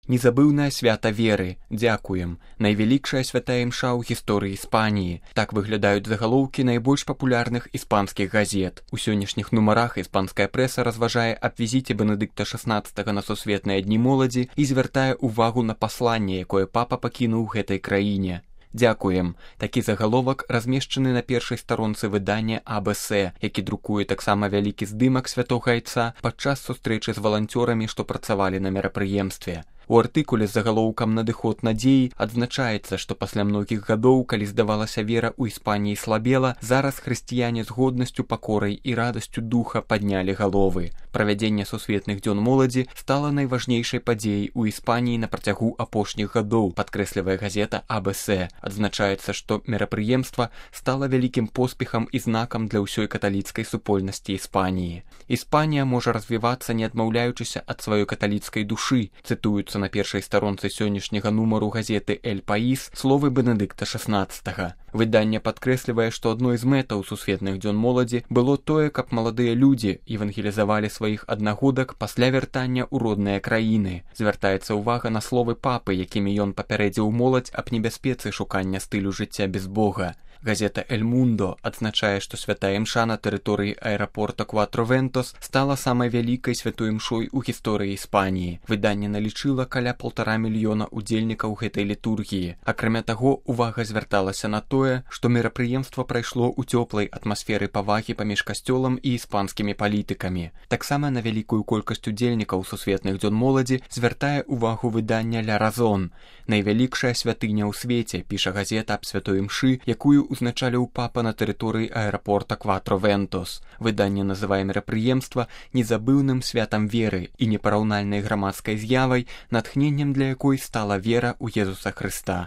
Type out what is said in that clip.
Незабыўнае свята веры. Дзякуем. Найвялікшая святая імша ў гісторыі Іспаніі. Так выглядаюць загалоўкі найбольш папулярных іспанскіх газет. У сённяшніх нумарах іспанская прэса разважае аб візіце Бенедыкта XVI на сусветныя дні моладзі і звяртае ўвагу на пасланне, якое папа пакінуў гэтай краіне. Дзякуем. Такі загаловак размешчаны на першай старонцы выдання АБС, які друкуе таксама вялікі здымак святога айца падчас сустрэчы з валанцёрамі, што працавалі на мерапрыемстве. У артыкуле з загалоўкам «Надыход надзеі» адзначаецца, што пасля многіх гадоў, калі здавалася вера ў Іспаніі слабела, зараз хрысціяне з годнасцю, пакорай і радасцю духа паднялі галовы. Правядзенне сусветных дзён моладзі стала найважнейшай падзеяй у Іспаніі на працягу апошніх гадоў, падкрэслівае газета АБС. Адзначаецца, што мерапрыемства стала вялікім поспехам і знакам для ўсёй каталіцкай супольнасці Іспаніі. Іспанія можа развівацца, не адмаўляючыся ад сваёй каталіцкай душы, цытуюцца на першай старонцы сённяшняга нумару газеты «Эль Паís» словы Бенедыкта XVI. Выданне падкрэслівае, што адной з мэтаў сусветных дзён моладзі было тое, каб маладыя людзі евангелізавалі сваіх аднагодак пасля вяртання ў родныя краіны. Звяртаецца ўвага на словы папы, якімі ён папярэдзіў моладзь аб небяспецы шукання стылю жыцця без Бога. Газета «Эль Мундо» адзначае, што святая імша на тэрыторыі аэрапорта Кватро-Вентос стала самай вялікай святой імшой у гісторыі Іспаніі. Выданне налічыла каля 1,5 мільёна удзельнікаў гэтай літургіі. Акрамя таго, увага звярталася на тое, што мерапрыемства прайшло ў цёплай атмасферы павагі паміж касцёлам і іспанскімі палітыкамі. Таксама на вялікую колькасць удзельнікаў сусветных дзён моладзі звяртае ўвагу выдання «Ля Разон». Найвялікшая святыня ў свеце, піша газета аб святой імшы, якую узначаліў папа на тэрыторыі аэрапорта Кватро-Вентос. Выданне называе мерапрыемства незабыўным святам веры і непараўнальнай грамадскай з'явай, натхненнем для якой стала вера ў Езуса Хрыста.